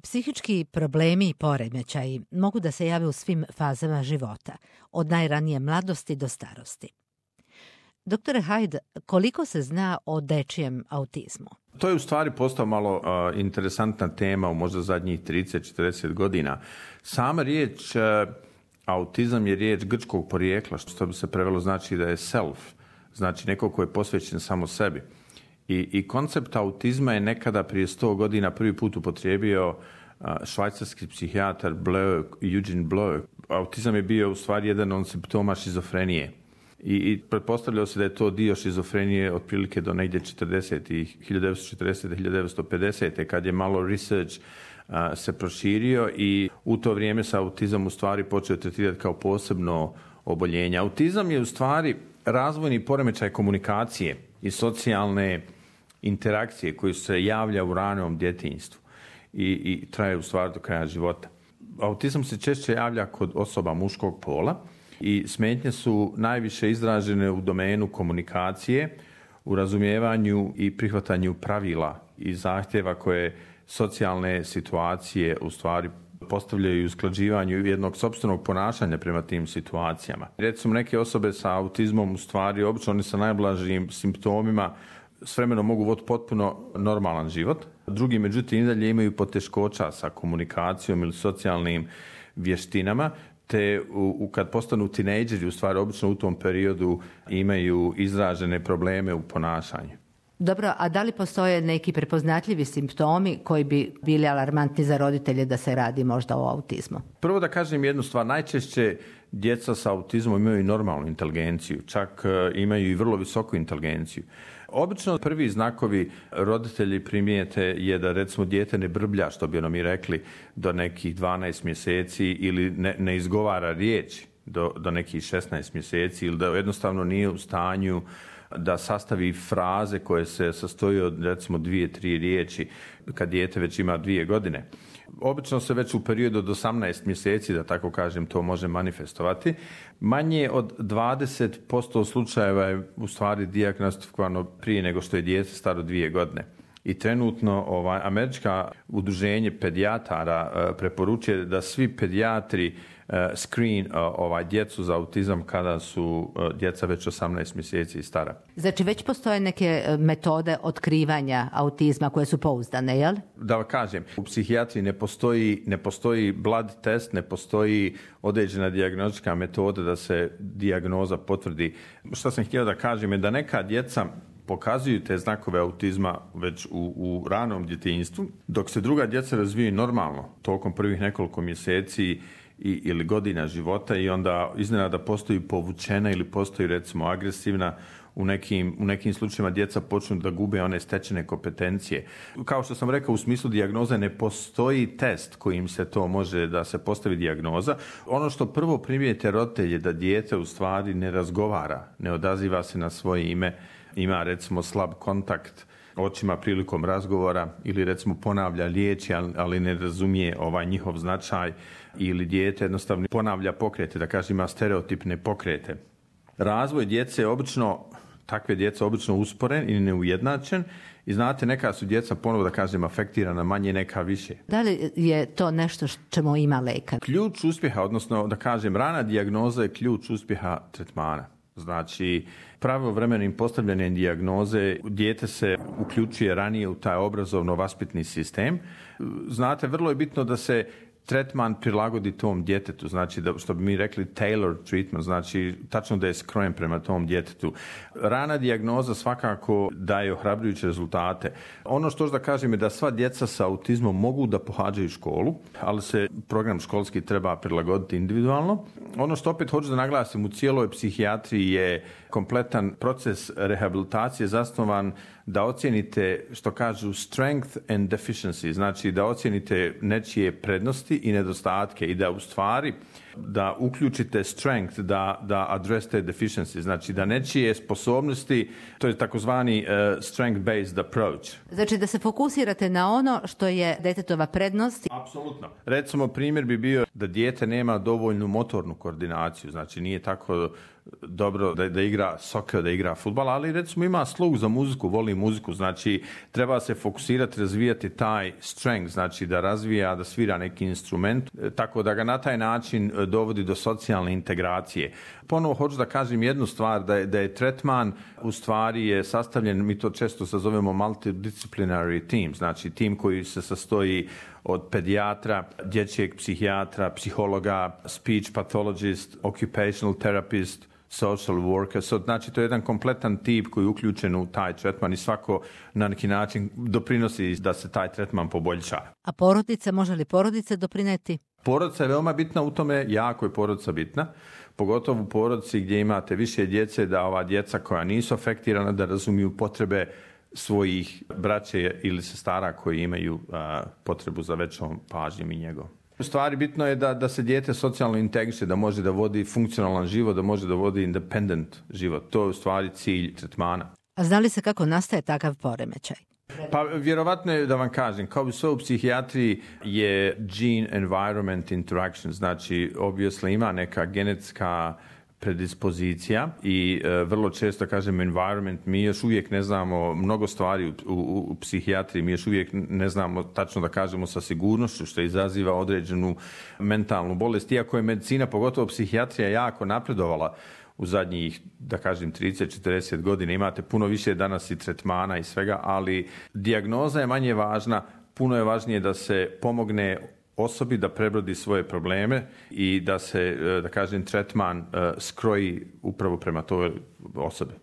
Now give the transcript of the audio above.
Psihički problemi i poremećaji mogu da se jave u svim fazama života, od najranije mladosti do starosti. Doktore Hyde, koliko se zna o dečijem autizmu? To je u stvari postao malo interesantna tema u možda zadnjih 30-40 godina. Sama riječ autizam je riječ grčkog porijekla, što bi se prevelo znači da je self, znači neko ko je posvećen samo sebi. I koncept autizma je nekada prije 100 godina prvi put upotrijebio švajcarski psihijatar Eugene Bloch. Autizam je bio u stvari jedan od simptoma šizofrenije. I pretpostavljalo se da je to dio šizofrenije otprilike do negdje 1940. kad je malo research se proširio i u to vrijeme se autizam u stvari počeo tretirati kao posebno oboljenje. Autizam je u stvari razvojni poremećaj komunikacije i socijalne interakcije koji se javlja u ranom djetinjstvu i traje u stvari do kraja života. Autizam se češće javlja kod osoba muškog pola i smetnje su najviše izražene u domenu komunikacije, u razumijevanju i prihvatanju pravila i zahtjeva koje socijalne situacije u stvari postavljaju i usklađivanju jednog sopstvenog ponašanja prema tim situacijama. Recimo neke osobe sa autizmom u stvari obično oni sa najblažim simptomima s vremenom mogu voditi potpuno normalan život. Drugi, međutim, i dalje imaju poteškoća sa komunikacijom ili socijalnim vještinama, te kad postanu tinejdžeri, u stvari obično u tom periodu imaju izražene probleme u ponašanju. Dobro, a da li postoje neki prepoznatljivi simptomi koji bi bili alarmantni za roditelje da se radi možda o autizmu? Prvo da kažem jednu stvar, najčešće djeca sa autizmom imaju normalnu inteligenciju, čak imaju i vrlo visoku inteligenciju. Obično prvi znakovi roditelji primijete je da recimo dijete ne brblja, što bi mi rekli, do nekih 12 mjeseci ili ne izgovara riječi do nekih 16 mjeseci ili da jednostavno nije u stanju da sastavi fraze koje se sastoji od recimo 2-3 riječi kad dijete već ima 2 godine. Obično se već u periodu od 18 mjeseci, da tako kažem, to može manifestovati. Manje od 20% slučajeva je u stvari dijagnostikovano prije nego što je dijete staro 2 godine. I trenutno američka udruženje pedijatara preporučuje da svi pedijatri screen djecu za autizam kada su djeca već 18 mjeseci i stara. Znači već postoje neke metode otkrivanja autizma koje su pouzdane, jel? Da kažem, u psihijatriji ne postoji blood test, ne postoji određena dijagnostička metoda da se dijagnoza potvrdi. Što sam htio da kažem je da neka djeca pokazuju te znakove autizma već u ranom djetinjstvu, dok se druga djeca razvijaju normalno tokom prvih nekoliko mjeseci ili godina života i onda iznenada postoji povučena ili postoji recimo agresivna. U nekim slučajevima djeca počnu da gube one stečene kompetencije. Kao što sam rekao, u smislu dijagnoze ne postoji test kojim se to može da se postavi dijagnoza. Ono što prvo primijete roditelje da dijete u stvari ne razgovara, ne odaziva se na svoje ime, ima recimo slab kontakt očima prilikom razgovora ili recimo ponavlja riječi, ali ne razumije njihov značaj ili dijete jednostavno ponavlja pokrete, da kažem ima stereotipne pokrete. Razvoj djece takve djece obično usporen i neujednačen i znate, neka su djeca ponovo da kažem afektirana manje, neka više. Da li je to nešto čemu ima lekar? Ključ uspjeha, odnosno da kažem rana dijagnoza je ključ uspjeha tretmana. Znači, pravovremenim postavljanjem dijagnoze dijete se uključuje ranije u taj obrazovno-vaspitni sistem. Znate, vrlo je bitno da se tretman prilagodi tom djetetu, znači da, što bi mi rekli tailored treatment, znači tačno da je skrojen prema tom djetetu. Rana dijagnoza svakako daje ohrabrujuće rezultate. Ono što da kažem je da sva djeca sa autizmom mogu da pohađaju školu, ali se program školski treba prilagoditi individualno. Ono što opet hoću da naglasim, u cijeloj psihijatriji je kompletan proces rehabilitacije zasnovan da ocijenite, što kažu, strength and deficiency, znači da ocijenite nečije prednosti i nedostatke i da u stvari da uključite strength, da address te deficiency, znači da nečije sposobnosti, to je takozvani strength-based approach. Znači da se fokusirate na ono što je djetetova prednost. Apsolutno. Recimo primjer bi bio da dijete nema dovoljnu motornu koordinaciju, znači nije tako dobro da igra soccer, da igra fudbal, ali recimo ima sluh za muziku, voli muziku, znači treba se fokusirati, razvijati taj strength, znači da razvija, da svira neki instrument, tako da ga na taj način dovodi do socijalne integracije. Ponovo hoću da kažem jednu stvar, da je tretman u stvari je sastavljen, mi to često zovemo multidisciplinary team, znači tim koji se sastoji od pedijatra, dječjeg psihijatra, psihologa, speech pathologist, occupational therapist, social worker. Znači to je jedan kompletan tip koji je uključen u taj tretman i svako na neki način doprinosi da se taj tretman poboljša. A porodica, može li porodica doprineti? Porodica je veoma bitna u tome, jako je porodica bitna, pogotovo u porodici gdje imate više djece, da ova djeca koja nisu afektirana da razumiju potrebe svojih braće ili sestara koji imaju potrebu za većom pažnjom i njegom. U stvari bitno je da se dijete socijalno integriše, da može da vodi funkcionalan život, da može da vodi independent život. To je u stvari cilj tretmana. A zna li se kako nastaje takav poremećaj? Pa vjerovatno je da vam kažem, kao i sve u psihijatriji je gene environment interaction, znači obviously ima neka genetska predispozicija i vrlo često kažem environment, mi još uvijek ne znamo mnogo stvari u psihijatriji, mi još uvijek ne znamo tačno da kažemo sa sigurnošću što izaziva određenu mentalnu bolest, iako je medicina, pogotovo psihijatrija, jako napredovala u zadnjih, da kažem, 30-40 godina. Imate puno više danas i tretmana i svega, ali dijagnoza je manje važna, puno je važnije da se pomogne osobi da prebrodi svoje probleme i da se, da kažem, tretman skroji upravo prema toj osobi.